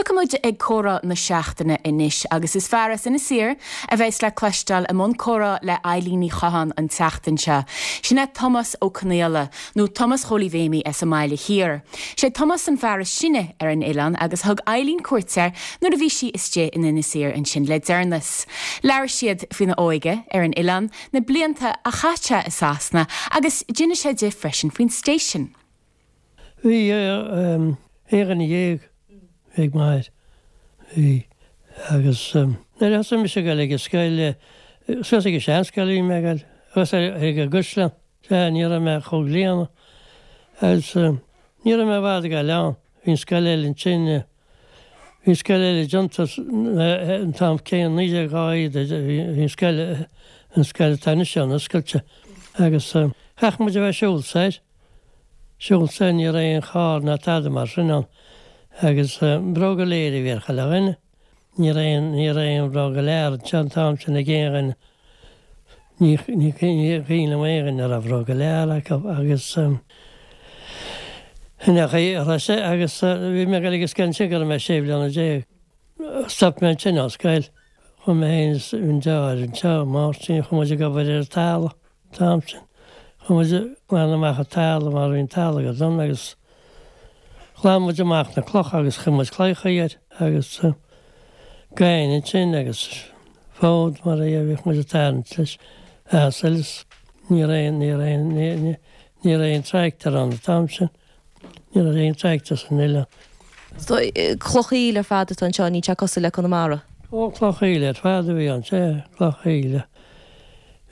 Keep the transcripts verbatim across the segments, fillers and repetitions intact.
Tiocfaidh muid ag comhrá na seachtaine anois agus is fear as Inis Oírr a bheas le cloisteáil i mbun comhrá le Eilín Ní Chatháin an tseachtain seo. Sin é Tomás Ó Conaola nó Tomás Chóilí Mhéimí as an mBaile Thiar. Sé Tomás an fear is sine ar an oileán agus thug Eilín cuairt air nuair a bhí sí istigh in Inis Oírr ansin le deireanas. Labhair siad faoina óige ar an oileán na blianta a chaith sé i Sasana agus d'inis sé di freisin faoin station. Bhí aon duine dhéag ag m'athair bhí agus nuair a thosaigh mise ag dul ag an scoil suas ag an seanscoil bhí mé ag dul agus ag an gCaisleán sea ní raibh mé chomh gliana agus ní raibh mé i bhfad ag dul ann bhí an scoil eile ansin bhí an scoil eile déanta an t-am céanna naoi déag dhá fhichead bhí an scoil an scoil atá anois ann oscailte agus chaith muid a bheith ag siúl soir siúl soir ní raibh aon charr ná tada mar sin ann agus bróga léir a bhí ar chuile dhuine. Ní raibh aon ní raibh aon bhróga leathair anseo an t-am sin ag aon dhuine. Ní ní ní cuimhin liom aon dhuine a raibh bróga leathair acu agus sin é an chaoi a raibh sé agus bhí mé ag dul ag an scoil ansin go raibh mé sé bliana déag. Stop mé ansin ón scoil. Chuaigh mé féin is an deartháir anseo, Máirtín, chuaigh muid ag obair ar an talamh an t-am sin. Chuaigh muid ag glanadh amach an talamh mar bhí an talamh go dona agus Ghlan muid amach na clocha agus chuir muid claíocha air agus gaibhne ansin agus fód mar a bhíodh muid ag tarraingt leis asail is ní raibh aon ní raibh aon ní ní raibh aon tractor ann an t-am sin. Ní raibh aon tractor san oileán. So cloch aoil ar fad atá anseo, níl sé cosúil le Conamara? Ó cloch aoil ar fad a bhí ann, sea, cloch aoil.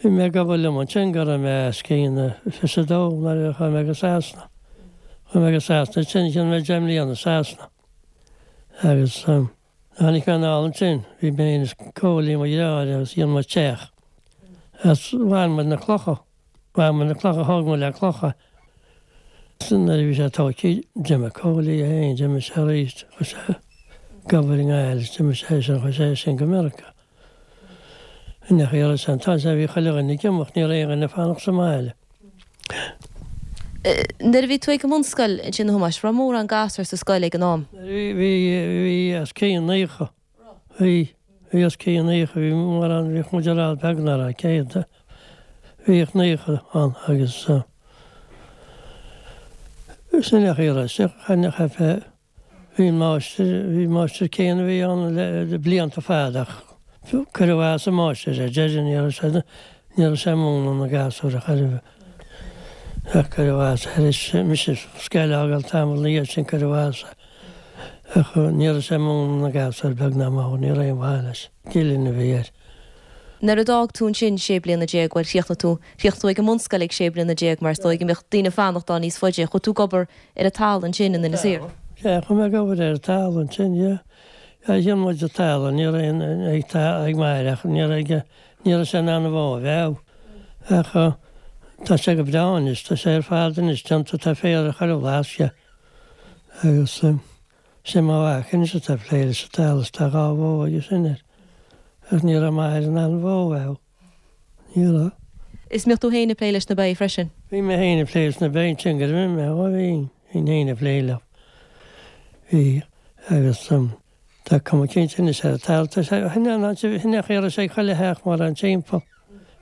Bhí mé ag obair liom ansin go raibh mé os cionn fiche a dó nuair a chuaigh mé go Sasana. Chuaigh mé go Sasana ansin, dhein mé deich mbliana i Sasana. Agus tháinig mé anall ansin, bhí mé féin is Cóilí mo dheartháir agus dhein muid teach. Agus bhain muid na clocha, bhain muid na clocha, thóg muid le clocha. Nuair a bhí sé tógtha, d'imigh Cóilí é féin, d'imigh sé arís, chuaigh sé ag obair i nGaillimh, d'imigh sé sin, chuaigh sé sin go Meiriceá. Nach iarraidh san tá sé bhí chuile dhuine ag imeacht, ní raibh aon dhuine ag fanacht sa mbaile. Nuair a bhí tú ag an mbunscoil ansin a Thomáis, raibh mórán gasúr sa scoil ag an am? Bhí, bhí, bhí os cionn naocha. Bhí, bhí os cionn naocha, bhí mórán, bhíodh muid ar fad beag nach raibh céad, bhíodh naocha ann agus sin nach iarraidh, chaithfeá Bhí an máistir, bhí an máistir céanna a bhí ann le blianta fada ach cuireadh as an máistir ar deireadh, ní raibh sé, ní raibh sé ag múineadh na gasúir a chur ach cuireadh as é. Tar éis mise scoil a fhágáil tamall ina dhiaidh sin cuireadh as é ach ní raibh sé ag múineadh na gasúir beag ná mór, ní raibh aon mhaith leis, Gillen a bhí air. Nuair a d'fhág tú ansin sé bliana déag, bhuel chríochnaigh tú, chríochnaigh tú ag an mbunscoil ag sé bliana déag mar is dóigh go mbeadh daoine ag fanacht ann níos faide, chuaigh tú ag obair ar an talamh ansin in Inis Oírr. Sea, chuaigh mé ag obair ar an talamh ansin, yeah. Yeah, dhein muid an talamh, ní raibh aon, ag, ag m'athair ach ní raibh aige, ní raibh sé in ann an bhó a mheá. Ach tá sé go breá anois, tá sé ar fad anois déanta, tá féar ar chuile bhlascaod. Agus sin mo mhac anois atá ag plé leis an talamh is tá dhá bhó aige sin air. Ach ní raibh m'athair in ann an bhó a mheá. Ní raibh. Is mbíodh tú féin ag plé leis na ba freisin? Bhí mé féin ag plé leis na ba ansin go raibh mé, ó bhí. Bhínn féin ag plé leo. Bhí, agus tá cuma cinnte anois ar an talamh. Tá sé, shin é an áit, shin é an chaoi a raibh sé ag chuile theach mórán timpeall.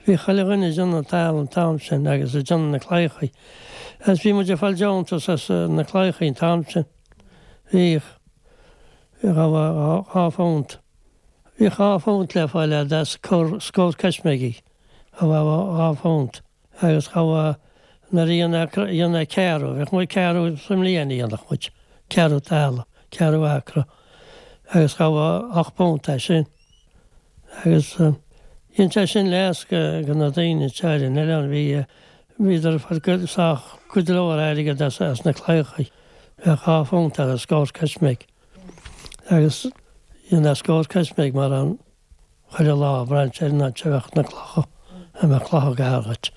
Bhí chuile dhuine ag déanamh an talamh an t-am sin agus ag déanamh na claíochaí. Agus bhí muid ag fáil deontas as na claíochaí an t-am sin. Bhíodh, bhíodh dhá, dhá phunt. Bhíodh dhá phunt le fáil as scór coisméigí. Dhá, dhá phunt. Agus ghabh nuair a dhéanadh ceathrú, bheadh muid ceathrú sa mbliain a dhéanadh muid, ceathrú talamh, ceathrú acra, agus ghabh ocht bpunt as sin. Agus dhein sé sin leas go na daoine anseo ar an oileán, bhí, bhíodar ag fáil cuid, sách, cuid leor airgead as, as na claíochaí. Bheadh dhá phunt ar an scór coisméig. Agus dhéanadh scór coisméig mar an, Chuile lá brainse ar an áit a bheadh na clocha, a mbeadh clocha gar dhuit.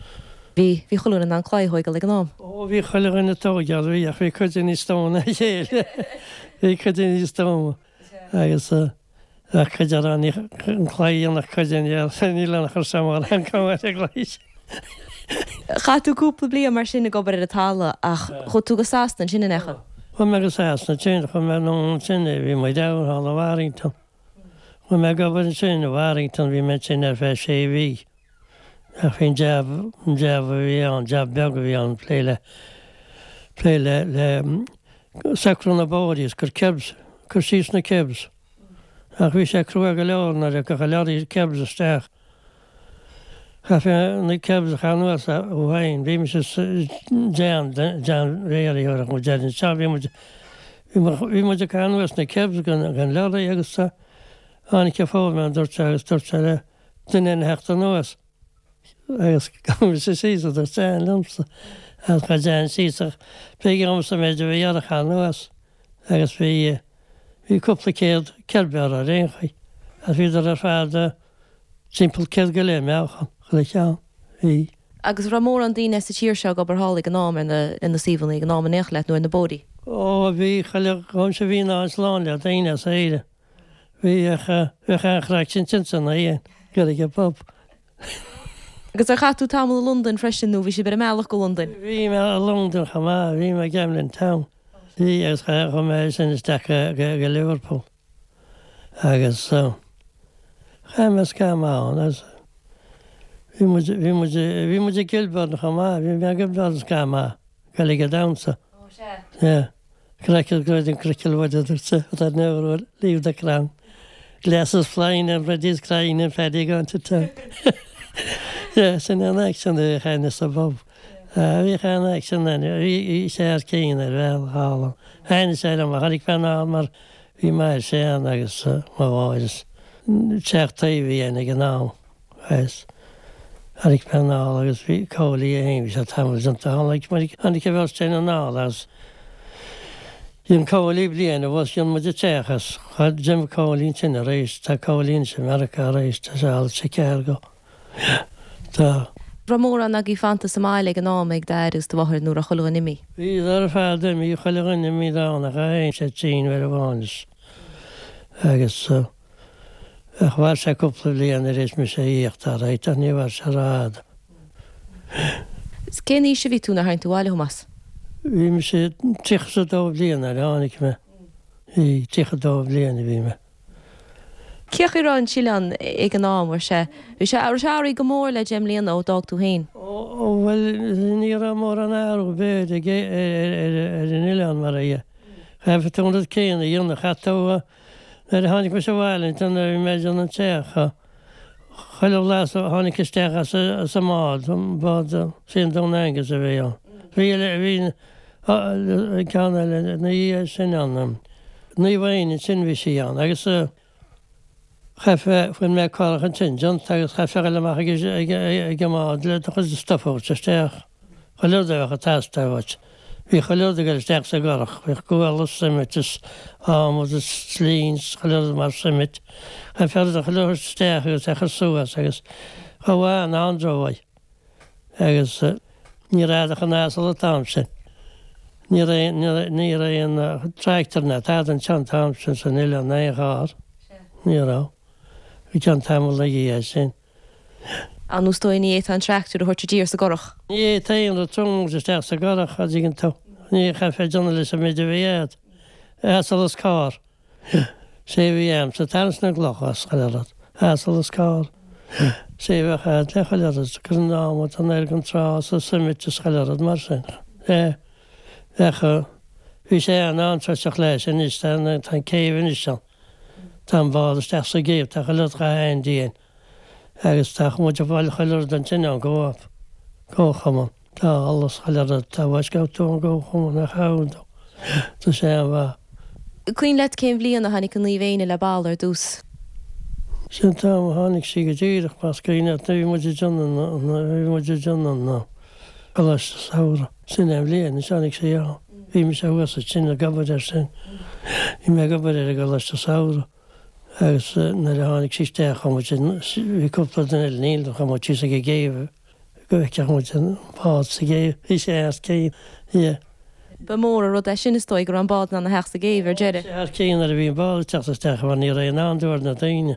Bhí, bhí chuile dhuine in ann claí a thóigeáil ag an am. Ó, bhí chuile dhuine ag tóigeáil, bhí, ach bhí cuid níos stuama ná a chéile. Bhí cuid níos stuama agus bheadh cuid a raibh ní, an claí a dhéanfadh cuid den gheall, níl ann a chuir sé mórán cuma ar an gclaí sin. Chaith tú cúpla bliain mar sin ag obair ar an talamh ach chuaigh tú go Sasana ansin, an ea? Chuaigh Chuaigh mé go Sasana ansin, chuaigh mé anonn ansin, bhí muid ann thall i Warrington. Chuaigh mé ag obair ansin i Warrington, bhí mé ansin ar feadh sé mhí. Ach bhí an jab, an jab a bhí ann, jab beag a bhí ann, plé le, plé le, le socrú na bóithre is cur kerbs, cur síos na kerbs. Ach bhí sé crua go leor nuair a thiocfadh lorry kerbs isteach. Chaithfí na kerbs a chur anuas ó féin. Bhí mise John, John Mhéaraí a thabharfadh muid air anseo. Bhí muid, bhí muid ag cur anuas na kerbs den, den lorry agus tháinig an foreman dúirt sé agus dúirt sé le duine a theacht anuas agus gabh mise síos a dúirt John liomsa. Agus chuaigh John síos ach b'éigean dhomsa an méid a bhí air a chur anuas agus bhí, bhí cúpla céad kerb air ar aon chaoi agus bhíodar ar fad Timpeall céad go leith meáchan, chuile cheann. Bhí. Agus raibh mórán daoine sa tír seo ag obair thall ag an am ar na, ar na suíomhanna, ag an am in aon chor leat, nó ar na bóithrí? Ó, bhí, chuile dhomsa bhí an áit lán le daoine as Éire. Bhí, ach bheadh an-chraic ansin san oíche, ag dul ag an bpub. Agus ar chaith tú tamall i Londain freisin nó bhí sibh ar an mbealach go Londain? Bhí mé i Londain chomh maith, bhí mé i Camden Town. Bhí, agus chuaigh mé ansin isteach go, go, go Liverpool. Agus chaith mé scaitheamh maith ann agus bhí muid, bhí muid, bhí muid i Kilburn chomh maith, bhí mé i Kilburn scaitheamh maith, ag dul ag an damhsa. Ó sea. Yeah. Crackle go an crickle wood a dúirt sé, but I'd never leave the crann. Glasses flying and Freddie's crying and Paddy going to town. Yeah, sin an action a bhí againn sa bpub. Bhí an action ann, bhí sé ar cinn ar bhealach thall. Thaitnigh sé liom, tháinig mé anall mar Bhí m'athair ann agus mo mháthair is teach taobh a bhí ann ag an am agus tháinig mé anall agus bhí Cóilí é féin, bhí sé tamall déanta, tháinig muid, tháinig an bheirt againn anall agus dhein Cóilí bliain abhus, dhein muid an teach agus d'imigh Cóilí ansin arís, tá Cóilí anois i Meiriceá arís, tá sé thall i Chicago, yeah, tá. Raibh mórán agaibh fanta sa mbaile ag an am, ag d'athair agus do mháthair nó raibh chuile dhuine imithe? Bhíodar ar fad imithe, chuile dhuine imithe ann ach é féin sé tinn uair amháin is agus ach mhair sé cúpla bliain tar éis mise a thíocht alright ach ní mhair sé rófhada. Cén aois a bhí tú nuair a tháinig tú abhaile, a Thomáis? Bhí mise tríocha is a dó bliain nuair a tháinig mé. Bhí tríocha a dó bliain a bhí mé. Cén chaoi a raibh an t-oileán ag an am, raibh sé, bhí sé, raibh sé athraithe go mór le deich mbliana ó d'fhág tú féin? Ó, bhuel, ní raibh mórán athrú b'fhéidir ag, ar, ar, ar an oileán mar a, chaithfeadh tú an rud céanna a dhéanamh, chaith tú, nuair a tháinig mise abhaile ansin nuair a bhí mé ag déanamh an teach, chuile bhlas a tháinig isteach as, as an mbád, an bád, sí an Dún Aengus a bhí ann. Bhí, bhí an ceann eile ina dhiaidh sin ann, Naomh Éanna ansin bhí sí ann agus, Chaithfeá, fuair mé curach ansin déanta agus chaithfeá a dhul amach ag an mbád le do chuid stuif a thabhairt isteach. Chuile rud a bheadh ag teastáil uait. Bhí chuile rud ag dul isteach sa gcurach, bhíodh gual is suimint is adhmad is slinn is chuile rud mar suimint. Chaithfeá rud a chuile thabhairt isteach agus é a chur suas agus chomh maith an-anró uaidh. Agus ní raibh ach an asal an t-am sin. Ní raibh, ní raibh aon tractor ná tada anseo an t-am sin san oileán ná aon charr. Ní raibh. Go ceann tamaill ina dhiaidh sin. Á nó is dóigh ní fhéadfá an tractor a thabhairt i dtír sa gcurach. Ní fhéadfá aon rud trom a thabhairt isteach sa gcurach, a dtuigeann tú. Ní chaithfeá déanamh leis an méid a bhí agat. Asal is carr. Sé a bhí a'msa, tarraingt na gcloch as chuile rud. Asal is carr. Sé a bheadh a'd le chuile rud. Cur an adhmad anoir gon trá is an suimint is chuile rud mar sin. Bheadh, bhí sé an-antroiteach leis anois, tá an céibh anois ann. Tá an bád isteach sa gcéibh, tá chuile rud chomh han-dian agus tá muid ag fáil chuile rud ansin ón gCo-op, Comharchumann. Tá allas chuile rud, tá bhfáisc tú ón gComharchumann a chabhair dó. Tá sé an-mhaith. Cuimhin leat cén bhliain a tháinig an Naomh Éanna le balla ar dtús? Sin an t-am a tháinig sí go díreach, más cuimhin leat, nuair a bhí muid ag déanamh na, bhí muid ag déanamh na Coláiste Samhraidh. Sin é an bhliain a tháinig sí ann. Bhí mise thuas ansin ag obair air sin. Bhí mé ag obair ar an gColáiste Samhraidh agus nuair a tháinig sí isteach chuaigh muid, bhí cúpla duine eile in éindí, chuaigh muid síos ag an gcéibh go bhfeicfeadh muid an bád sa gcéibh. Bhí sé thar cionn, yeah. Ba mhór an rud é sin is dóigh go raibh an bád in ann a theacht sa gcéibh ar deireadh. Bhí sé thar cionn nuair a bhí an bád ag teacht isteach mar ní raibh aon andúil ar na daoine.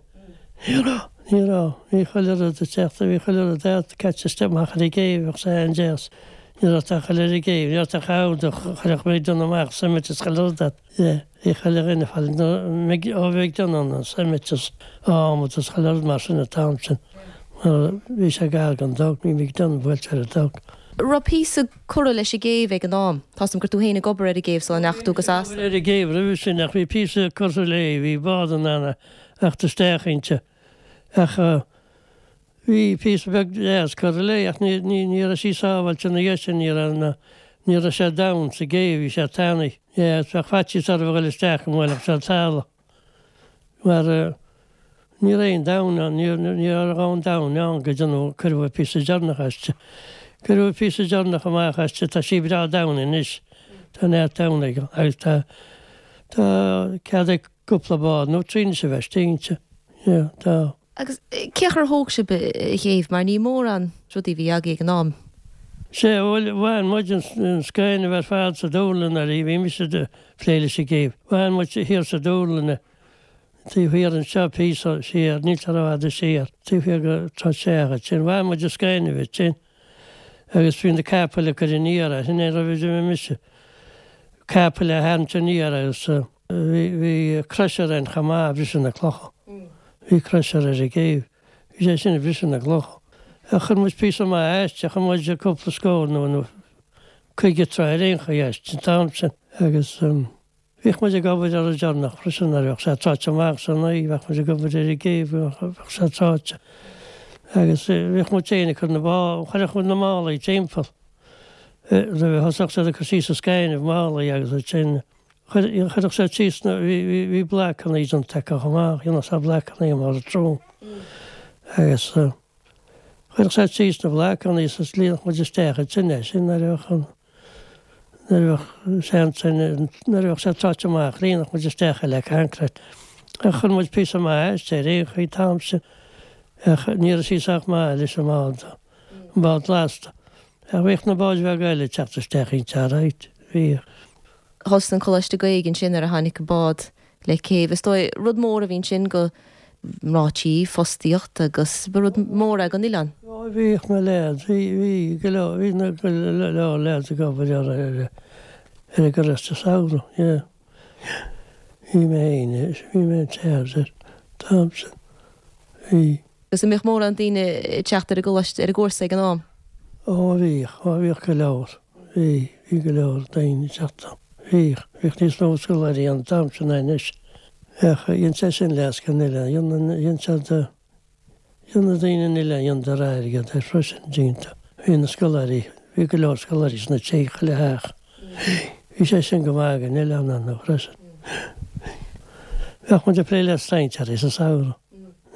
Ní raibh, ní raibh. Bhí chuile rud ag teacht, bhí chuile rud caite isteach amach ar an gcéibh, bheadh sé an-deas. Ní raibh ort ach a dhul ar an gcéibh, ní raibh ort ach a chuirfeadh mé ag déanamh amach cement is chuile rud ort. Yeah, bhí chuile dhuine ag fáil ó bheith ag déanamh an cement is adhmad is chuile rud mar sin an t-am sin. Mar bhí sé gar don dock, bhí mé ag déanamh buailte ar an dock. Raibh píosa curtha leis an gcéibh ag an am. Tá 's agam go raibh tú féin ag obair ar an gcéibh sula ndeachaigh tú go Sasana. Ar an gcéibh roimhe sin ach bhí píosa curtha léi, bhí bád in ann a theacht isteach inti. Ach bhí píosa beag deas curtha léi ach ní, ní, ní raibh sí sábháilte ina dhiaidh sin, ní raibh na, ní raibh sé domhain sa gcéibh, bhí sé tanaí. Yeah, bheadh faitíos orthu a dhul isteach go mbuailfeadh sé an talamh. Mar ní raibh aon domhan ann, ní, ní raibh aon domhan ann go dtí nó cuireadh píosa deireanach aisti. Cuireadh píosa deireanach amach aisti, tá sí breá domhain anois. Tá neart domhan aige agus tá, tá cead ag cúpla bád nó trí anois a bheith istigh inti. Yeah, tá. Agus cén chaoi ar thóg sibh an chéibh, mar ní mórán rudaí a bhí agaibh ag an am. Sea, bhuel, bhain muid an scaoineamh ar fad sa Dúrlann nuair a bhí mise ag plé leis an gcéibh. Bhain muid thiar sa Dúrlann, taobh thiar anseo píosa siar, níl sé rófhada siar, taobh thiar de Trá Seach ansin. Bhain muid an scaoineamh ansin agus bhí na capaill ag cur aniar é, sin é roimh a d'imigh mise. Capaill á tharraingt aniar agus bhí, bhí crusher ann chomh maith ag briseadh na clocha. Bhí crusher ar an gcéibh. Bhí sé sin ag briseadh na gcloch. Ach chuir muid píosa maith aisti, chuir muid cúpla scór nó nó caoga troigh ar aon chaoi aisti an t-am sin. Agus bhíodh muid ag obair ar an deireanach freisin nuair a bheadh sé tráite amach san oíche, bheadh muid ag obair ar an gcéibh, bheadh sé tráite. Agus bhíodh muid féin ag cur na bá, chuirfeadh muid na málaí timpeall. Roimh a thosódh siad ag cur síos an scainimh, málaí agus ansin chuirfeadh siad síos na, bhí, bhí, bhí blocanna déanta acu chomh maith, dhéanadh siad blocanna mar an trom. Agus chuirfeadh siad síos na blocanna is líonfadh muid isteach ansin é sin nuair a bheadh an, nuair a bheadh sé ansin, nuair a bheadh sé tráite amach, líonfadh muid isteach é le concrete. Ach chuir muid píosa maith aisti ar aon chaoi an t-am sin. Ach ní raibh sí sách maith leis an mbád, an bád lasta. Ach bhíodh na báid bheaga eile ag teacht isteach inti alright, bhíodh. Thosaigh an Coláiste Gaeilge ansin nuair a tháinig an bád le céibh. Is dóigh rud mór a bhí ansin go mná tí, fostaíocht agus ba rud mór é don oileán. Ó bhíodh na leaids, bhí, bhí go leor, bhí na go leor leaids ag obair ar, ar, ar an gColáiste Samhraidh, yeah. Bhí mé féin, bhí mé in charge air, an t-am sin. Bhí. Agus an mbíodh mórán daoine ag teacht ar an gcoláiste, ar an gcúrsa ag an am? Ó bhíodh, ó bhíodh go leor. Bhí, bhí go leor daoine ag teacht ann. Bhíodh, bhíodh níos mó scoláirí ann an t-am sin ná anois. Ach dhein sé sin leas don oileán, dhein, dhein siad, dhein na daoine an oileán, dheineadar airgead air freisin, cinnte. Bhí na scoláirí, bhí go leor scoláirí sna tithe, chuile theach. Bhí sé sin go maith don oileán ann freisin. Bheadh muid ag plé le strainséirí sa samhradh.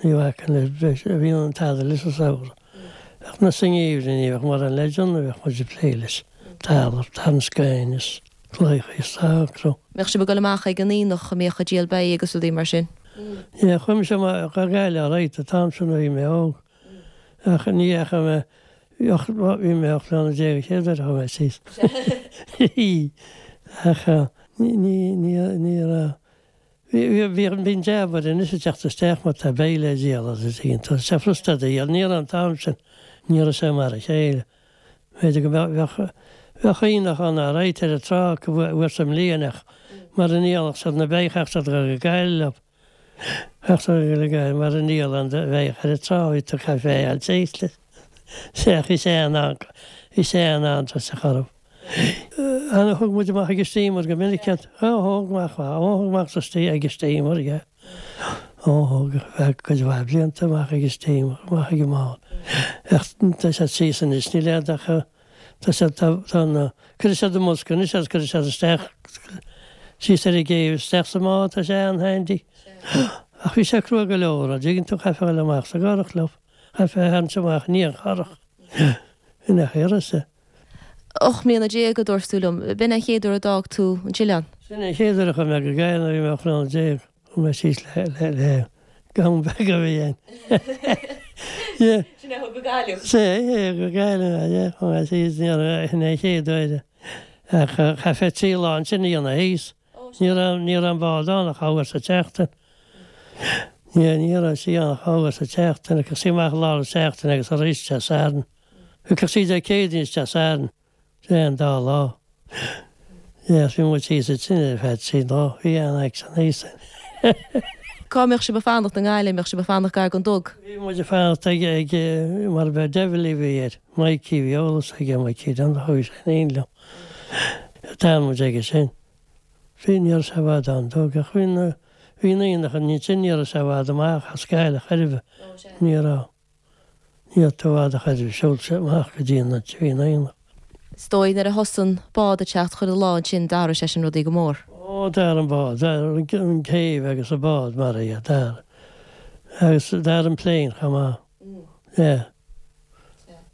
Ní bhacfainn le breis, bhí an tada leis sa samhradh. Ach na sa ngeimhreadh ní bheadh mórán le déanamh, bheadh muid ag plé leis talamh, tarraingt scaoin is claíocha is socrú. Mbeadh sibh ag dul amach ag an aonach a mbíodh ag díol beithígh agus rudaí mar sin? Yeah, chuaigh mise amach go Gaillimh alright an t-am sin nuair a bhí mé óg. Ach ní dheachaigh mé, bhí mé ocht mbliana déag an chéad uair a chuaigh mé síos. Ach ní, ní, ní, ní raibh, bhí, bhí, bíonn jab anois ag teacht isteach má tá beithígh le díol agus tá sé frusta a dhíol, ní raibh an t-am sin, ní raibh sé mar a chéile. B'fhéidir go mbeadh, bheadh, bheadh aonach ann alright ar an trá acu uair sa mbliain ach mara ndíolfadh siad na beithígh chaithfeadh siad dul go Gaillimh leo. Chaithfeadh siad dul go Gaillimh mara ndíolfadh an bheithíoch ar an trá bhí tú caithfidh é a fháil síos leis. Sea, bhí sé in ann, bhí sé in ann tusa a chur. Ana thug muid amach ag an steamer go minic iad. Ó, thóg amach, ó, thóg amach sa stí ag an steamer, yeah. Ó, thóg, bheadh cuid mhaith blianta amach ag an steamer, amach ag an mbád. Ach tá siad síos anois, níl aon ach tá siad, tá, tá na, cuirfidh siad i mbosca anois agus cuirfidh siad isteach síos ar an gcéibh, isteach sa mbád, tá sé an-handy. Ach bhí sé crua go leor, an dtuigeann tú, chaithfeá a dhul amach sa gcurach leo, chaithfeá a tharraingt amach ní an churach. Ina shaoire. Ocht mbliana déag, a dúirt tú liom. B'in an chéad uair a d'fhág tú an t-oileán? Sin an chéad uair a chuaigh mé go Gaillimh nuair a bhí mé ocht mbliana déag. Chuaigh mé síos le, le, le gamhain beag a bhí ann. Yeah. Sin é a thug go Gaillimh? Sea, é, go Gaillimh mé, yeah. Chuaigh mé síos, ní raibh, sin é an chéad uair. Ach chaithfeá trí lá ansin a dhéanamh thíos. Ní raibh, ní raibh an bád ann ach dhá uair sa tseachtain. Ní, ní raibh sí ann ach dhá uair sa tseachtain. Thiocfadh sí amach i lár na seachtaine agus arís Dé Sathairn. Thiocfadh sí Dé Céadaoin is Dé Sathairn. Sé an dá lá. Yes, bhí muid thíos ansin ar feadh trí lá, bhí an-aicsean thíos. Cá mbeadh sibh ag fanacht i nGaillimh, mbeadh sibh ag fanacht gar don Dug? Bhí muid ag fanacht ag, ag, mar ba Devil a bhí air, Mikey, bhí eolas aige, Mikey Dunne, chuaigh sé in éindí liom. D'fhan muid aige sin. Bhí, ní raibh sé i bhfad ón Dug, ach bhí na, bhí na aonacha ansin, ní raibh sé i bhfad amach as Gaillimh chor ar bith. Ní raibh. Ní raibh tú i bhfad a chor ar bith, siúl sé amach go dtí an áit a bhí an aonach. Is dóigh nuair a thosaigh an bád ag teacht chuile lá ansin d'athraigh sé sin rudaí go mór. Ó, d'athraigh an bád, d'athraigh an céibh agus an bád mar dhea, d'athraigh. Agus d'athraigh an plane chomh maith. Yeah.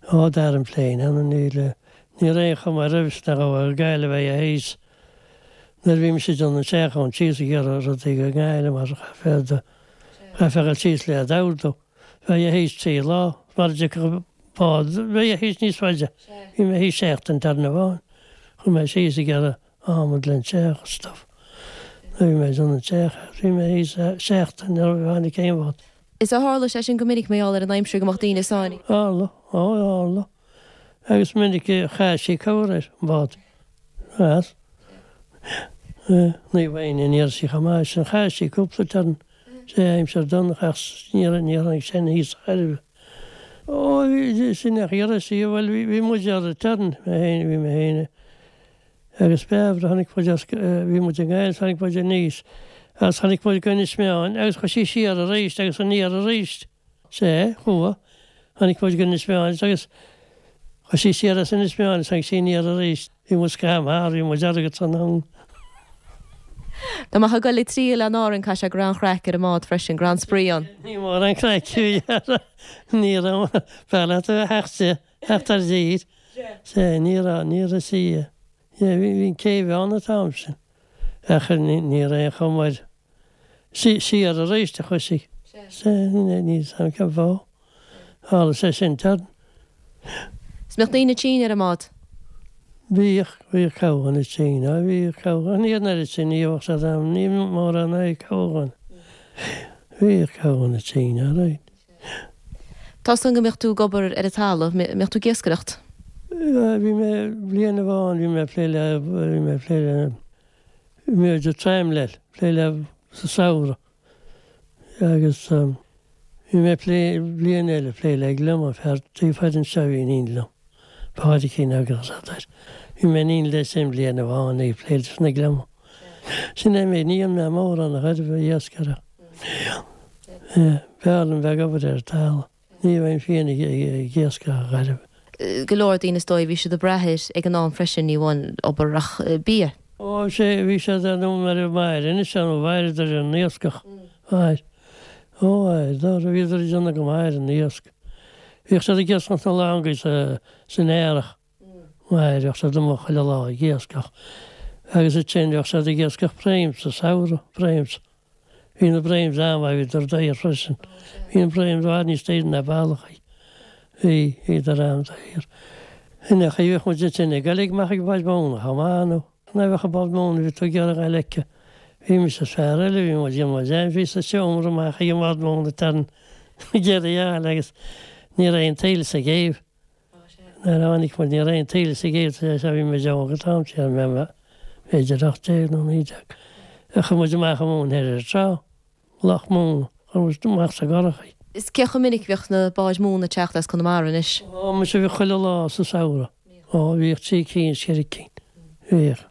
Ó, d'athraigh an plane, ann níl, ní raibh aon chuma roimhe sin ach ó Gaillimh a thíos. Nuair a bhí mise ag déanamh an tseacháin síos ag iarraidh rudaí go nGaillimh mar chaithfeá, chaithfeá a dhul síos le iad a ordú. Bheifeá thíos trí lá, mar a dtiocfadh bád, bheifeá thíos níos faide. Bhí mé thíos seachtain darna amháin. Chuaigh mé síos ag iarraidh adhmad len teach agus stuff. Nuair a bhí mé ag déanamh an teach, bhí mé thíos seachtain nuair a tháinig aon bhád. Is ar tharla sé sin go minic mar gheall ar an aimsir go mbeadh daoine sáinnithe? Tharla, ó tharla. Agus minic a chaill sí cabhair ar an bhád. As. Naomh Éinne, ní raibh sí chomh maith sin. Chaill sí cúpla turn. Sé aimsir dona ach ní raibh ní tháinig sé aníos chor ar bith. Ó bhí sin ach iarraidh sí, bhuel bhí bhí muid ar an turn, mé féin, bhí mé féin agus Bairbre, tháinig muid as, bhí muid i nGaillimh, tháinig muid aníos agus tháinig muid go Inis Meáin agus chuaigh sí siar arís agus aniar arís. Sea, chuaigh. Tháinig muid go Inis Meáin agus chuaigh sí siar as Inis Meáin agus tháinig sí aniar arís. Bhí muid scamhar, bhí muid agat san am. Dá mbeifeá ag dul ag triall in Árainn caithfidh sé go raibh an-chraic ar an mbád freisin, go raibh an-spraoi ann. Ní mór an craic a bhí air. Ní raibh, b'fhearr leat a bheith theacht de, theacht ar dtír. Sea, ní raibh, ní raibh sí, yeah, bhí, bhí an céibh ann an t-am sin. Ach ní, ní raibh aon chuma air. Sí, siar arís a chuaigh sí. Sea, ní, ní fhios a'm cén fáth. Tharla sé sin turn. Is mbeadh daoine tinn ar an mbád? Bhíodh, bhíodh corrdhuine tinn, á bhíodh corrdhuine, ní an oiread sin, ní bheadh siad ann, ní mórán é corrdhuine. Bhíodh corrdhuine tinn, alright. Tá 's agam go mbeadh tú ag obair ar an talamh, mbeadh tú ag iascaireacht? Bhí mé, bliain amháin bhí mé ag plé le, bhí mé ag plé le, bhí mé ag tramlail, plé le sa samhradh agus bhí mé ag plé, bliain eile ag plé le gliomach, fear taobh thoir anseo a bhí in éindí liom, Pádraicín agus air. Bhí mé in éindí leis sin bliain amháin ag plé leis na gliomaigh. Sin é an méid, ní dhearna mé mórán a chor ar bith iascaireacht. B'fhearr liom bheith ag obair ar an talamh. Ní bheinn féin ag iascach a chor ar bith. Go leor daoine is dóigh, bhí siad ag brath air ag an am freisin, ní amháin obair ach bia. Ó sea, bhí siad ar nó mar a mhair anois ann, mhaireadar ar an iascach, mhair. Ó mhair, bhíodar ag déanamh go maith ar an iasc. Bhíodh siad ag iascach na langaí san earrach, mhair, bheadh siad amuigh chuile lá ag iascach. Agus ansin bheadh siad ag iascach bream sa samhradh, breams. Bhí na breams an-mhaith, bhíodar daor freisin. Bhí na breams i bhfad níos daoire ná ballachaí. Bhí, bhíodar an-daor. Sin é an chaoi a bhíodh muid ansin ag dul amach ag báid mhóna chomh maith nó nuair a bheadh an bád móna bhí tú ag iarraidh a fheiceáil. Bhí mise is fear eile, bhí muid, bhí muid ann, bhí sa seomra amach ag an mbád móna turn ag iarraidh a fháil agus ní raibh aon taoille sa gcéibh. Nuair a tháinig muid ní raibh aon taoille sa gcéibh tar éis bhí muid óg an t-am sin, bhí mé b'fhéidir ocht déag nó naoi déag. Chuaigh muid amach an mhóin thoir ar an trá, Loch Móna, chuaigh muid amach sa gcurach í. Is cé chomh minic a bhíodh na báid mhóna ag teacht as Conamara anois? Ó, muise bhíodh chuile lá sa samhradh. Ó, bhíodh trí cinn is ceithre cinn. Bhíodh.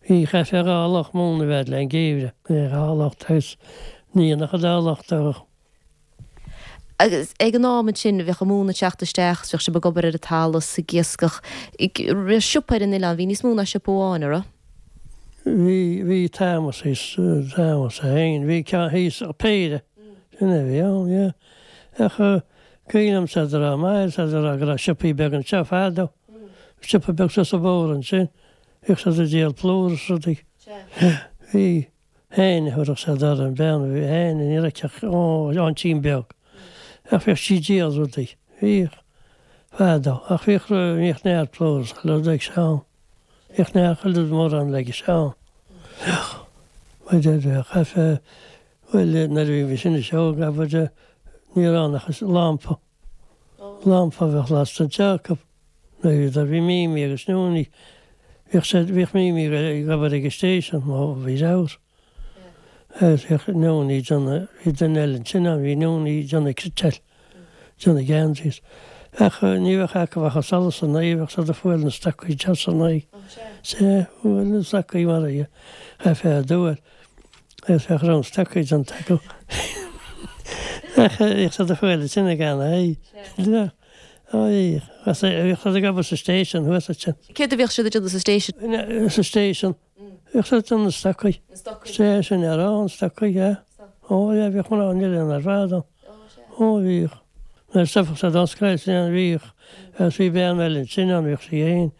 Bhí, chaithfeá dhá lucht móna a bheith le an geimhreadh. Bhí dhá lucht agus ní dhéanfadh an dá lucht ach. Agus ag an am ansin bheadh an mhóin ag teacht isteach is bheadh sibh ag obair ar an talamh is ag iascach. Raibh siopa ar an oileán, bhí níos mó ná siopa amháin, an raibh? Bhí, bhí Thomas thíos, Thomas é féin, bhí ceann thíos, péire, sin é a bhí ann, yeah. Ach cuimhin liom siad a rá, maith, siad a rá go raibh siopaí beaga anseo fadó, siopa beag suas an bóthar ansin, bhíodh siad ag díol plúr is rudaí. Bhí. Féin a thabharfadh siad orthu, an bean a bhí féin, ní raibh ach aintín beag. Ach bhíodh sí ag díol rudaí. Bhíodh. Fadó. Ach bhíodh, bhíodh neart plúr is chuile rud ag Seán. Bhíodh neart chuile rud mórán ag Seán. Bhíodh. Bhuel, chaithfeá, bhuel, nuair a bhí mise ina óg, abair, ní raibh ann ach lampa. Lampa a bheadh lasta anseo acu. Nuair a bhí Mimi agus Nonie, bhíodh siad, bhíodh Mimi ag obair ag an station má bhí leabhar. Agus bhíodh Nonie ag déanamh, bhí duine eile ansin ann, bhí Nonie ag déanamh cniotáil, déanamh geansaí. Ach ní bheadh acu ach an solas ina aghaidh, bheadh siad ag fuáil na stocaí deas ina aghaidh. Sea, fuáil na stocaí mar a chaithfeá a dúil. Agus bheadh roinnt stocaí déanta acu. Ach bhíodh siad ag fuáil ansin ag an aghaidh. Ó bhíodh. Bhíodh siad ag obair sa station thuas ansin. Céard a bhíodh siad ag déanamh sa station? Sa station. Bhíodh siad ag déanamh na stocaí. Na stocaí. Sea, sin é a rá, na stocaí, yeah. Ó yeah, bhíodh mná an oileáin ar fad ann. Ó bhíodh. Nuair a stopfadh siad ón scoil sin bhíodh, agus bhí bean eile ansin ann, bhíodh sí féin,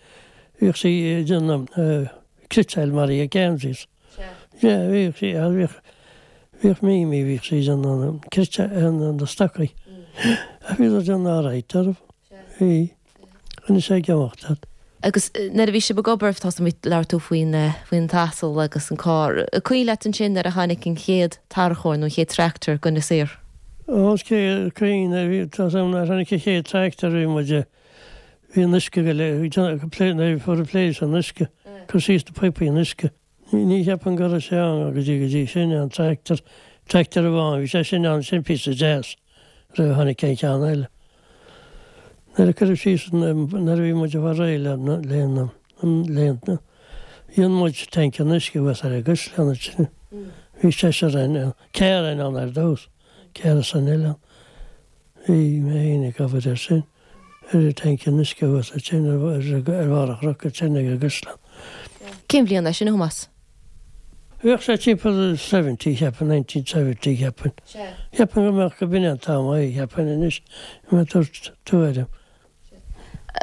bhíodh sí ag déanamh cniotáil mar a geansaí. Yeah, bhíodh sí, bhíodh, bhíodh Mimi, bhíodh sí ag déanamh cniotáil, na stocaí. Ach bhíodar ag déanamh alright orthu. Bhí. Rinne sé ag imeacht iad. Agus nuair a bhí sibh ag obair, tá mé labhair tú faoin faoin t-asal agus an carr. An cuimhin leat ansin nuair a tháinig an chéad tarracóir nó an chéad tractor go Inis Oírr? Ó, is cuimhin, bhí, tá nuair a tháinig an chéad tractor bhí muid, bhí an uisce go le, nuair a fuair an pléis an uisce, cur síos na píopaí an uisce. Ní cheapaim go raibh sé ann go dtí go dtí sin an tractor, tractor amháin, bhí sé sin ann sin píosa deas roimh a tháinig aon cheann eile. Nuair a cuireadh síos nuair a bhí muid ag fáil réidh le le le dhein muid tanc an uisce thuas ar an gcaisleán ansin. Bhí seisear againn, ceathrar againn ann ar dtús, ceathrar san oileán. Bhí mé féin ag obair air sin, ar an tanc an uisce thuas ansin ar ar bharr an chnoic ansin ag an gcaisleán. Cén bhliain é sin, a Thomáis? Bheadh sé timpeall seventy, cheapfainn, nineteen seventy, cheapfainn. Cheapfainn go mbeadh go b'in an t-am é, cheapfainn anois, go mbeadh tabhairt tuairim.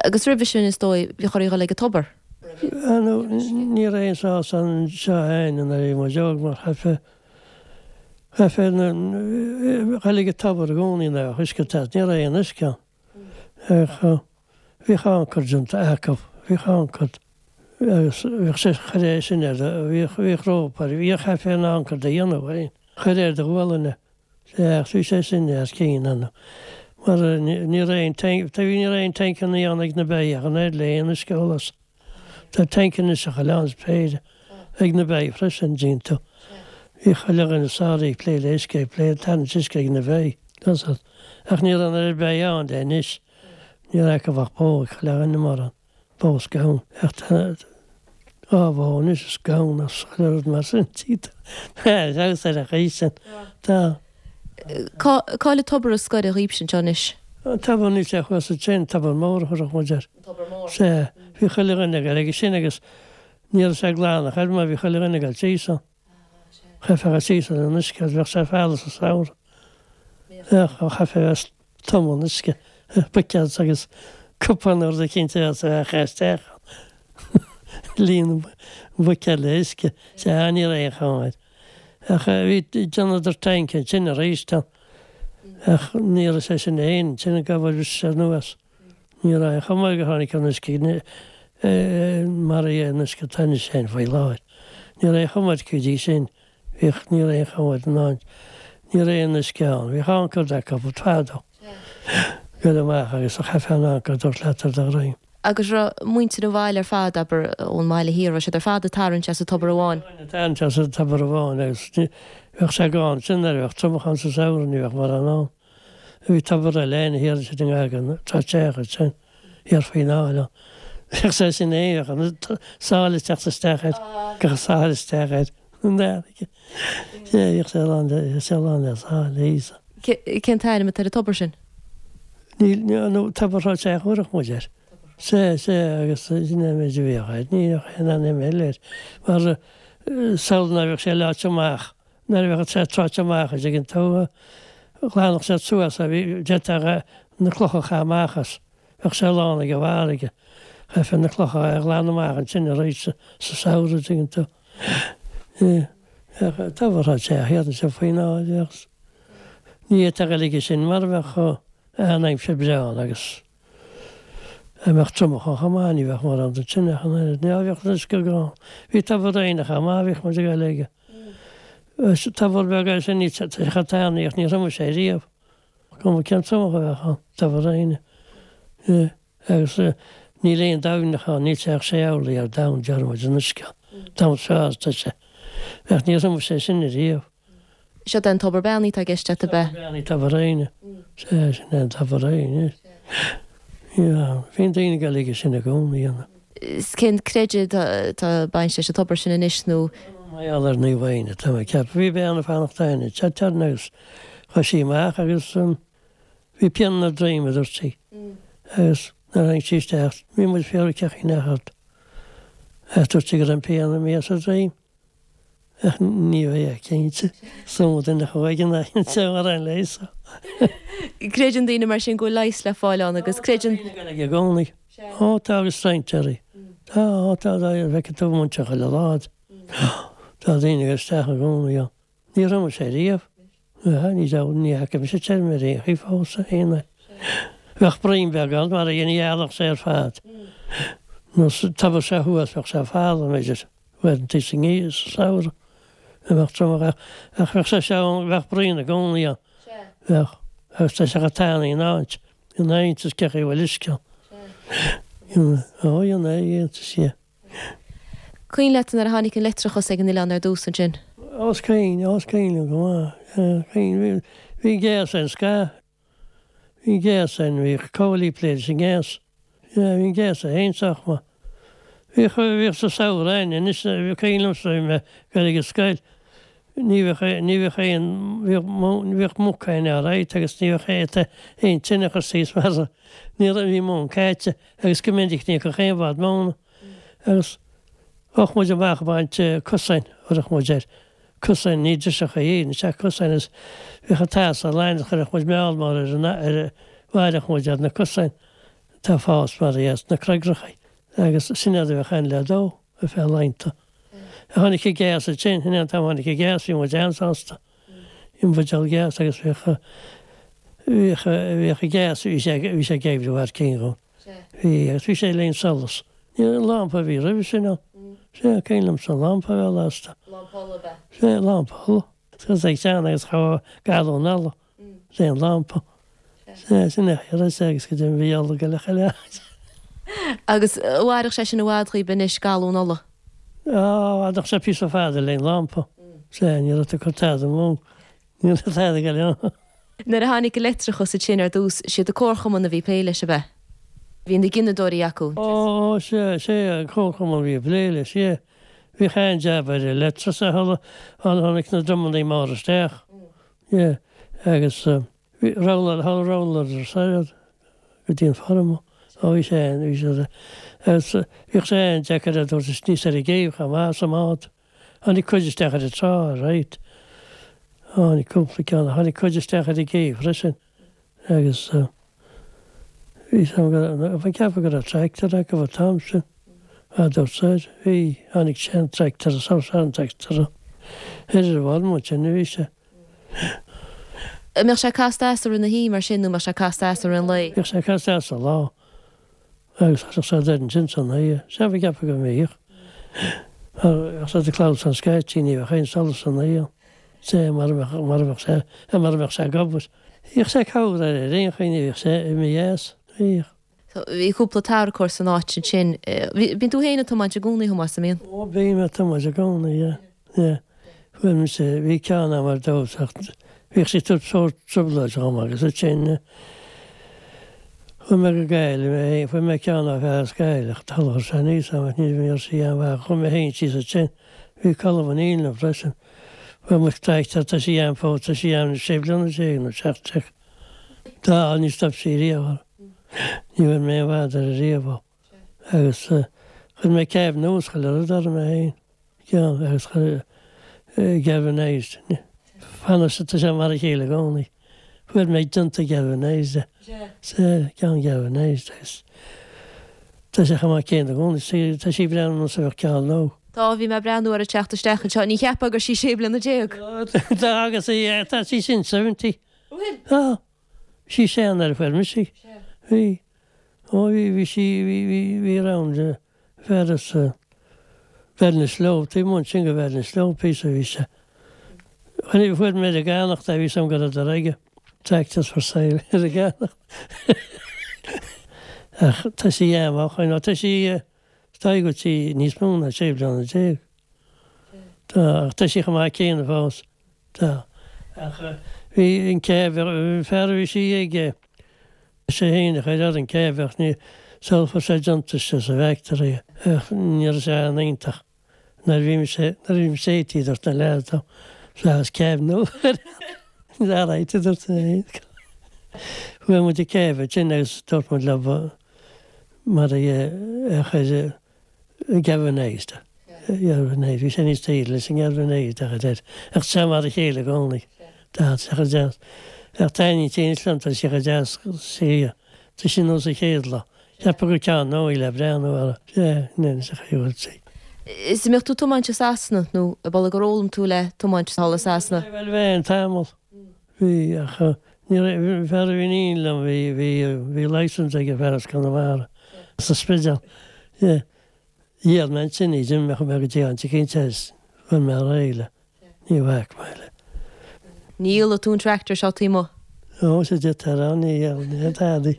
Agus roimhe sin, is dóigh, bhíodh oraibh dul ag an tobar? Nó ní raibh aon sás anseo againn nuair a bhí muid óg mar chaithfeá, chaithfeá dhul ag an tobar i gcónaí nuair a bheadh uisce ag teacht, ní raibh aon uisce ann. Ach bhíodh ancair déanta acu, bhíodh ancair. Agus bhíodh sé, chuir é sin ar do, bhíodh, bhíodh rópa air, bhíodh, chaithfeá an ancair do dhéanamh féin, chuir ar do ghualainn é. Sea, ach bhí sé sin thar cionn ann. Mar ní raibh aon tank, tá, ní raibh aon tancannaí ann ag na beithígh ach an oiread le aon uisce a ól as. Tá tank anois ag chuile cheann is péire ag na beithígh freisin, díonta. Bhí chuile dhuine sáraí ag plé le uisce, ag plé le tarraingt uisce ag na beithígh. Ach ní raibh an oiread beithígh ann le anois. Ní raibh acu ach bó ag chuile dhuine mórán. Bó is gamhain. Ach tá dhá bhó anois is gamhain is chuile rud mar sin. Feabhas ar an chaoi sin. Tá. Cá bhfuil an tobar is gaire dhaoibhse anseo anois? An tobar níl sé thuas ansin, tobar mór a thabharfadh muid air. An tobar mór. Sea. Bhí chuile dhuine ag dul aige sin agus ní raibh sé glan ach oiread mar bhí chuile dhuine ag dul síos ann. Chaithfeá dul síos ann an uisce agus bheadh sé folamh sa samhradh. Bheadh, chaithfeá bheith tumadh in uisce, buicéad agus cupán nó rud eicínt a bheadh sa bheadh isteach ann. Líon an buicéad le huisce. Sea, ní raibh aon chuma air. Ach bhí, déanadar tanc ansin arís ann. Ach ní raibh sé sin féin, sin an gabhal bhris sé anuas. Ní raibh aon chuma air gur tháinig an uisce mar é an uisce atá anois féin faoi láthair. Ní raibh aon chuma air go dtí sin. Bhíodh, ní raibh aon chuma air ná ní raibh aon uisce ann. Bhíodh ancair acu fadó. Goil amach agus chaithfeá an ancair a thabhairt leat ar do dhroim. Agus raibh muintir an bhaile ar fad, abair, ón mbaile thiar, raibh siad ar fad ag tarraingt as an tobar amháin? Ag tarraingt as an tobar amháin agus bheadh sé gann ansin nuair a bheadh triomach ann sa samhradh, ní bheadh mórán ann. Bhí tobar eile ann thiar ansin i ngar don Trá ansin, thiar faoin áill ann. Bheadh sé sin féin, bheadh an sáile ag teacht isteach air, gach sáile isteach air. An fharraige. Sea, bhíodh sé lán le, bhíodh sé lán le sáile, Íosa. Cén t-ainm atá ar an tobar sin? Níl, nó tobar Thrá Teach a thabharfadh muid air. Sea, sea, agus sin é an méid a bhíodh air. Ní bheadh aon ainm eile air. Mar samhlaigh nuair a bheadh sé leáite amach, nuair a bheadh sé tráite amach an dtuigeann tú, ghlanfadh siad suas é, bhí, d'fhéadfadh na clocha a chaitheamh amach as. Bheadh sé lán ag an bhfarraige. Chaithfeá na clocha a ghlanadh amach ansin arís sa samhradh, an dtuigeann tú. Ach tobar Thrá Teach thiar ansin faoin áill, agus ní fhéadfá a dhul aige sin mara mbeadh an aimsir breá ann agus dá mbeadh triomach ann chomh maith, ní bheadh mórán den tine ach an oiread. Ní bheadh an uisce gann. Bhí tobar Éinne chomh maith, bhíodh muid ag dul aige. Tobar beag é sin, ní tá sé chomh tanaí ach ní thriomaigh sé riamh. Cuma cén triomach a bheadh ann, tobar Éinne. Agus Níl aon domhnach ann, níl sé ach sé orlaí ar domhan, deir muid, an uisce. Domhan seo, tá sé. Ach níor thriomaigh sé sin ariamh. Seo é an tobar beannaithe atá i gceist agat, ab ea? Tobar beannaithe, Tobar Éanna. Sea, sin é an Tobar Éanna. Yeah, bhíonn daoine ag dul aige sin i gcónaí, you Is cén creideamh atá bainte leis an tobar sin anois nó? Mar gheall ar Naomh Éanna, tá mé ag ceapadh. Bhí bean ag fanacht ann i Chattan agus chuaigh sí amach agus bhí pian ina droim, a dúirt sí. Agus nuair a tháinig sí isteach, bhí muid ag fiafraí cén chaoi nach ort. Ach dúirt sí go raibh an pian imithe as a droim. Ach ní bheidh cinnte. Is iomaí duine a chuaigh in aghaidh an ar an leigheas. Creideann daoine mar sin go bhfuil leigheas le fáil ann agus creideann. Daoine ag i gcónaí. Ó tá agus strainséirí. Tá, ó tá, tá, feicfidh tú muintir chuile lá. Tá daoine ag isteach i gcónaí ann. Níor thriomaigh sé riamh. Ní raibh, ní fhaca mise tirim ar aon chaoi fós, aon uair. Bheadh broim beag ann mar a dhein ghealach sé ar fad. Nó tobar sé thuas bheadh sé folamh, b'fhéidir. Uaireanta sa ngeimhreadh, sa samhradh, a bheadh triomach ach, ach bheadh sé seo, bheadh braon i gcónaí ann. Bheadh. Agus tá sé chomh tanaí in áit, in áit is cé chaoi a bhfuil uisce ann. Ó, dhein é, dhéantas é. Cuimhin leat nuair a tháinig an leictreachas ag an oileán ar dtús ansin? Ó, is cuimhin, ó, is cuimhin liom go maith. Cuimhin, bhí, bhí gléas ann scaitheamh. Bhí gléas ann, bhíodh comhlaí ag plé leis an ngléas. Yeah, bhí an gléas é féin sách maith. Bhíodh, bhíodh sa samhradh ann, anois, bhí cuimhin liomsa, bhí mé ag dul ag an scoil, ní bheadh, ní bheadh aon, bhíodh, bhíodh muc ann alright agus ní bheadh aon, aon tine a chur síos mar ní raibh, bhí móin caite agus go minic ní bheadh aon bhád móna. Agus bheadh muid amach ag baint cosáin, chuirfeadh muid air. Cosáin, ní driseacha iad, is ea cosáin is bhíodh an t-eas á lán agus chuirfeadh muid meall mór ar an, ar a, bhairfeadh muid ar na cosáin atá ag fás mar a sna creagracha agus sin iad a bheadh ann le dó ar feadh laethanta. Tháinig an gás ansin, sin é an t-am a tháinig an gás, bhí muid an-sásta. Bhí muid ag gás agus bhíodh, bhíodh, bhíodh an gás, bhí sé, bhí sé ag oibriú thar cionn dhúinn. Bhí, agus bhí sé le solas. Ní an lampa a bhí roimhe sin ann. Sea, cuimhin liomsa an lampa a bheith lasta. Lampa ola ab ea? Sea, lampa ola. Agus ag teann agus chomh galún ola le an lampa. Sea, sin é a raibh sé agus go deimhin bhí ola go leith chuile áit. Agus mhairfeadh sé sin i bhfad dhaoib anois, galún ola? Á, mhairfeadh sé píosa fada le an lampa. Sea, ní raibh tú ag cur tada amú. Ní raibh tada ag dul ann. Nuair a tháinig an leictreachas ansin ar dtús, siad an comharchumann a bhí ag plé leis, ab ea? Bhí na gineadóirí acu. Ó, sea, sea, an comharchumann a bhí ag plé leis, yeah. Bhíodh an-jab ar an leictreachas a thuilleadh, tháinig na dromannaí móra isteach, yeah, agus bhí roller, roller soir go dtí an feirm. Ó, bhí sé, bhí sé, agus bhíodh sé an-deacair a dtabhairt aníos ar an gcéibh chomh maith sa mbád. Tháinig cuid isteach ar an trá, right. Tháinig cúpla ceann, tháinig cuid isteach ar an gcéibh freisin agus bhí sam go, bhí ceapadh go raibh tractor acu an t-am sin. A dúirt soir, bhí, tháinig sean tractor, sa sean tractor. Thoir ar an bhfeirm ansin a bhí sé. An mbeadh sé casta as i rith na hoíche mar sin nó an mbeadh sé casta as i rith an lae? Bhíodh sé casta as sa lá. Agus chuirfeadh sé air ansin san oíche. Sea, bhí ceapadh go mbíodh. Bheadh sé ag clamhsán scaití, ní bheadh aon solas san oíche ann. Sea, mara mbeadh, mara mbeadh sé, mara mbeadh sé ag obair. Bhíodh sé ag cabhair air ar aon chaoi, ní bhíodh sé imithe as. Bhíodh. Bhí cúpla tarracóir san áit ansin. Bíonn tú féin ag tiomáint i gcónaí, a Thomáis, an mbíonn? Ó, bím ag tiomáint i gcónaí, yeah, yeah. Fuair mise, bhí ceann a'm ar dtús ach bhíodh sé ag tabhairt sórt trioblóid dhom agus ansin chuaigh mé go Gaillimh mé féin, fuair mé ceann ó fear as Gaillimh ach chuir sé aníos a'm ach ní raibh sí an-mhaith, chuaigh mé féin síos ansin, bhí Colm Ó Neill liom freisin. Fuair muid tractor, tá sí a'm fós, tá sí a'm sé bliana déag nó seacht déag. Tá, ní stop sí riamh. Ní bhfuair mé aon bhotún uirthi riamh ó. Agus chuir mé cab nua is chuile rud orm é féin. Ceann agus chuir galvanized. Fanadh tá sé mar a chéile i gcónaí. Fuair mé déanta galvanized é. Sea, ceann galvanized agus tá sé chomh maith céanna i gcónaí. Tá sí ag breathnú ar nós a bheadh ceann nua. Tá, bhí mé ag breathnú uirthi ag teacht isteach anseo. Ní cheapfá gur sí sé bliana déag. Tá agus tá sí sin seventy. Bhfuil? Tá. Bhí sí sean nuair a fuair mise í. Bhí. Ó bhí, bhí sí, bhí, bhí, bhí round fear as Béal na Sló, taobh amuigh ansin go Béal na Sló píosa bhí sé. Fuair, fuair mé ar an gceannacht é, bhí sam go raibh aige. Tractors for sale ar an gceannacht. Ach tá sí amach nó tá sí is dóigh go bhfuil sí níos mó ná sé bliana déag. Tá ach tá sí chomh maith céanna fós. Tá. Ach bhí an cab fear a bhí sí aige sé féin a chuir ar an cab ach ní sul fuair sé deontas sa bhfactory ach ní raibh sé an-iontach. Nuair a bhí mise nuair a bhí mise eighty dúirt na leaids dom Is cab nua a dúirt mé. Fuair muid an cab ansin agus dúirt muid leo mar a chuir galvanised. Galvanised. Bhí sé níos saoire leis an galvanised a chur air. Ach tá sé mar a chéile i gcónaí. Tá sé chomh deas. Ach taitníonn sé anois liom, tá sé chomh deas sea. Tá sé nós an chéad lá. Cheapfá gur ceann nua í le breathnú air. Sea, anois a chaoi bhfuil sí. Is an mbeadh tú ag tiomáint i Sasana nó ab amhlaidh gur fhoghlaim tú le tiomáint thall i Sasana? Bhuel bhí an tamall. Bhí ach ní raibh, fear a bhí in éindí liom bhí, bhí, bhí licence ag fear as Conamara sa Spidéal. Yeah. Dhíol mé ansin í, d'imigh mé go dtí an cinnte is bhain mé ar aghaidh le. Ní bhac mé le. Ní dhíolfaidh tú an tractor seo taobh amuigh? Ó, sea duit a rá, ní dhíolfaidh, ní dadaí.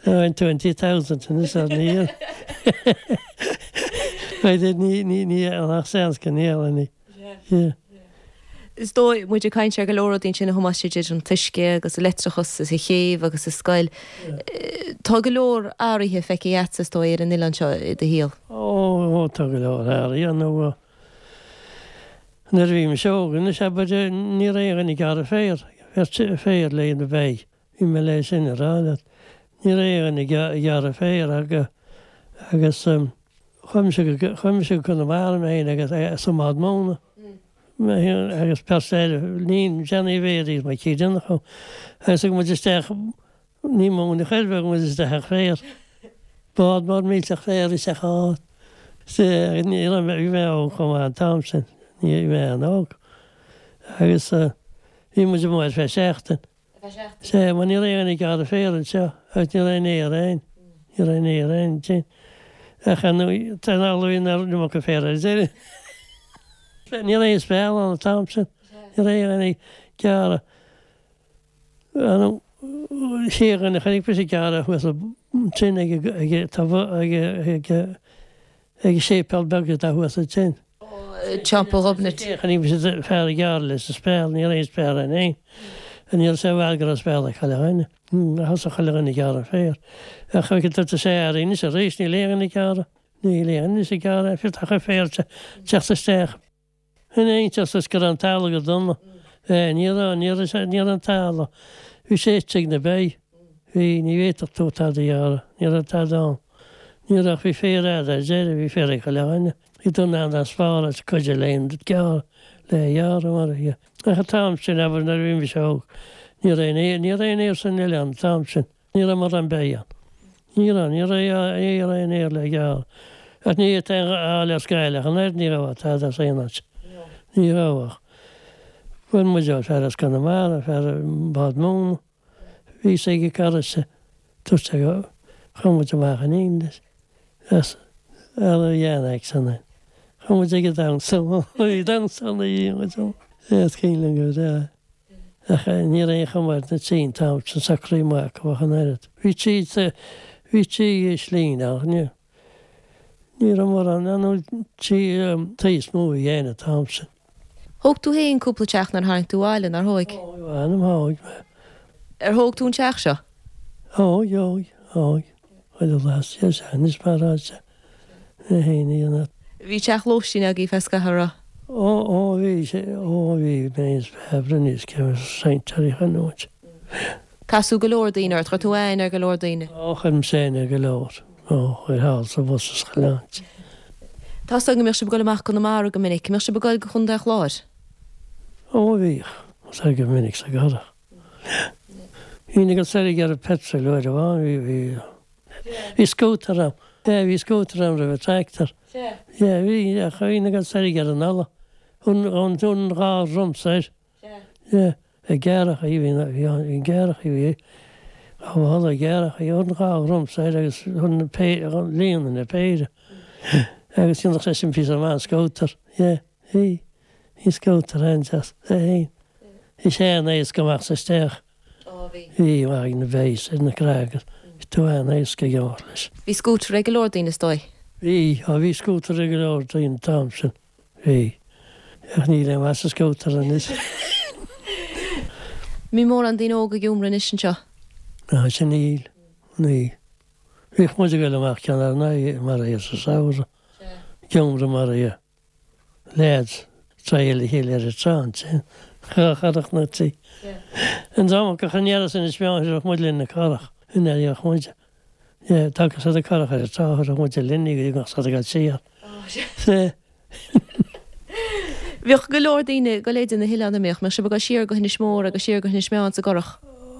Bhain twenty thousand anois ar ní dhíol. B'fhéidir ní, ní, ní, ach seans go ndíolfainn í. Yeah. Is dóigh, muid ag caint ar go leor rudaí ansin a Thomáis, idir an t-uisce agus an leictreachas is an chéibh agus an scoil. Tá go leor athraithe feicthe agatsa is dóigh ar an oileán seo i do shaol. Ó, ó, tá go leor athraithe nó nuair a bhí mise óg anois abair ní raibh aon dhuine ag gearradh féir, féar le na beithígh. Bhí mé le sin a rá leat. Ní raibh aon dhuine ag gearradh féir agus chuaigh mise go chuaigh mise go Conamara mé féin agus sa mbád móna. Mé féin agus pearsa eile, ní Johnny Mhéaraí is Mikey Donnchadh. Agus thug muid isteach ní móin a chuir bheadh muid isteach ach féar. Bád mór millteach féir isteach ann. Sea, ní raibh mé, bhí mé óg chomh maith an t-am sin. Ní bhí mé an-óg. Agus bhí muid amuigh ar feadh seachtain. Sea, mar ní raibh aon ag gearradh féir anseo agus ní raibh aon fhéar ann. Ní raibh aon fhéar ann ansin. Ach ar ndóigh, tá an amhlaidh nach raibh iomarca féir ar deireadh. Ní raibh aon speal ann an t-am sin. Ní raibh aon ag gearradh. Sé dhuine chonaic mise ag gearradh thuas ansin ag ag ag ag ag séipéal beag atá thuas ansin. Teampall Ghobnait. Chonaic mise fear ag gearradh leis an speal, ní raibh aon speal ann féin. Ní raibh sé i bhfad go raibh speal ag chuile dhuine. Thosaigh chuile dhuine ag gearradh féir. Ach tá sé athraithe anois arís, níl aon dhuine ag gearradh. Níl aon duine ag gearradh, fiú tá chuid féir ag teacht isteach. In aonteas is go raibh an talamh go dona. Ní raibh, ní raibh sé, ní raibh an talamh. Bhí sé ite ag na beithígh. Bhí, ní bhféadfadh tú tada a ghearradh. Ní raibh tada ann. Ní raibh ach bhí féar a'd ar deireadh, bhí féar ag chuile dhuine. Bhí tú in ann an spáráil is cuid le gearradh, le ghearradh mar a bhí. Ach an t-am sin, abair, nuair a bhí mise óg, ní raibh aon, ní raibh aon fhéar san oileán an t-am sin. Ní raibh mórán beithígh ann. Ní raibh, ní raibh, ní raibh aon fhéar le gearradh. Ach ní fhéadfaí a fháil as Gaillimh ach an oiread, ní raibh tada as aon áit. Ní raibh ach. Fuair muid ó fear as Conamara, fear bád móna. Bhí sé ag cara se, dúirt sé go, chuaigh muid amach in éindí leis. As ar a dhean aicsean é. Chuaigh muid ag an damhsa, bhí damhsa ann a bhí muid ann. Is cuimhin liom go breá. Ach ní raibh aon chuma ar na tí an t-am sin socraithe amach acu ach an oiread. Bhí tí, bhí tí slín ach ní, ní raibh mórán, nó tí, tí is mó a bhí ann an t-am sin. Thóg tú féin cúpla teach nuair a tháinig tú abhaile, nár thóig? Thóg, mh'anam, thóg mé. Ar thóg tú an teach seo? Thóg, thóg, thóg. Chuile lá, sea, sea, anois mar atá sé. Mé féin a dhéanamh. Bhí teach lóistín agaibh feadh scaithimh, an raibh? Ó, ó, bhí sé, ó, bhí, mé is fearr anois cé raibh roinnt ar a chanúint. Casadh go leor daoine ort, chuir tú aithne ar go leor daoine? Ó, chuir mise aithne ar go leor, ó, chuir thall sa bhus is chuile áit. Tá 's agam go mbíodh sibh ag dul amach go Conamara go minic, an mbíodh sibh ag dul go Chontae an Chláir? Ó, bhíodh, soir go minic sa gCurrach. Bhínn ag dul soir ag iarraidh petrol uair amháin, bhí, bhí, bhí scútar a'm. Yeah, bhí scútar a'm roimh an tractor. Yeah, bhí, ach bhínn ag dul soir ag iarraidh an ola. Thun, thun, thun dhá dhrum soir. Yeah, ag gearrachaí, bhí, bhí, bhí gearrachaí, bhí, dhá mhála gearrachaí, thun dhá dhrum soir agus thun na pé, líonadh na péire. Agus dhéanfadh sé sin píosa maith an scútar. Yeah, bhí, bhí scútar an-deas, é fhéin. Bhí sé an-éasca amach is isteach. Ó, bhí. Bhí, amach ag na beithígh is ar na craga. Bhí tú an-éasca ag imeacht leis. Bhí scútar ag go leor daoine is dóigh? Bhí, á bhí scútar ag go leor daoine an t-am sin. Bhí. Ach níl aon mhaith sa scútar anois. An mbíonn mórán daoine óga ag iomramh anois anseo? Ná sin níl. Níl. Bhíodh muid ag dul amach ceann ár n-aghaidh mar é sa samhradh. Ag iomramh mar é. Leaids, triail a chéile ar an trá ansin. Dhá charrach nó trí. An dream acu a choinneálas Inis Meáin thabharfadh muid linn na curach. In ar fhéach muid. Yeah, tagadh siad an curach ar an trá, thabharfadh muid linn í go dtí go mbeadh siad ag dul siar. Sea. Bhíodh go leor daoine ag dul idir na hoileáin, an mbíodh? Mbeadh sibh ag dul siar go hInis Mór agus siar go hInis Meáin sa gcurach?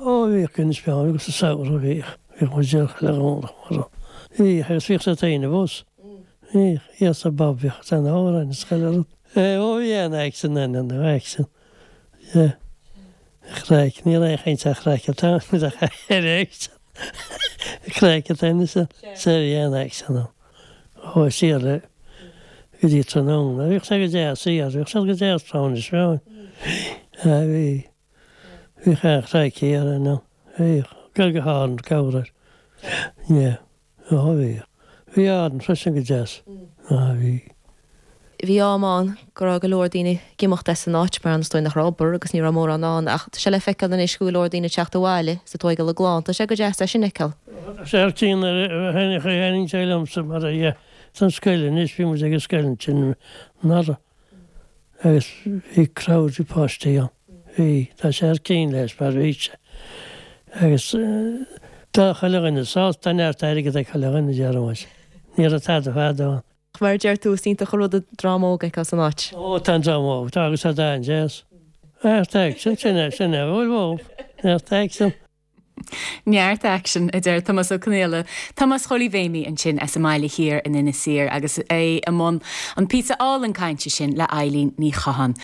Ó, bhíodh go Inis Meáin agus sa samhradh bhíodh. Bhíodh muid siar chuile Dhomhnach mar. Bhíodh agus bhíodh siad féin i bhus. Bhíodh, yes a Bob, bhíodh siad an-amhráin is chuile rud. Ó bhí an-aicsean ann, an-aicsean. Yeah. Craic, ní raibh aon chaint ar chraic an t-am, ní raibh ar aicsean. Craic atá anois ann. Sea, bhí an-aicsean ann. Chuaigh siar le go dtí tráthnóna. Bhíodh sé go deas siar, bhíodh sé go deas trá Inis Meáin. Bhí, bhí. Bhíodh an-chraic thiar ann. Bhíodh. Go go hÁrainn, cabhair air. Yeah. Ó bhí. Bhí Árainn freisin go deas. Á bhí. Bhí am ann go raibh go leor daoine ag imeacht as an áit mar is dóigh nach raibh obair agus ní raibh mórán ann ach tá sé le feiceáil anois go bhfuil go leor daoine ag teacht abhaile is ag tóigeáil a gclann. Tá sé go deas é sin a fheiceáil. Tá sé ar tí nuair a tháinig tháinig sé liomsa mar a dhea san scoil anois bhí muid ag an scoil ansin anuraidh agus bhí crowd de pháistí ann. Bhí, tá sé ar cinn leis mar bhí sé. Agus tá chuile dhuine sásta, tá neart airgid ag chuile dhuine, deir muid. Ní raibh tada fadó ann. Mar a deir tú, is iontach an rud an dream óg a fheiceáil san áit. Ó, tá an dream óg, tá agus tá an-deas. Neart aicsean, sin é, sin é, bhfuil bhó, neart aicsean. Neart aicsean, a deir Tomás Ó Conghaile. Tomás Chóilí Mhéimí ansin as an mBaile Thiar in Inis Oírr agus é i mbun an píosa álainn cainte sin le Eilín Ní Chatháin.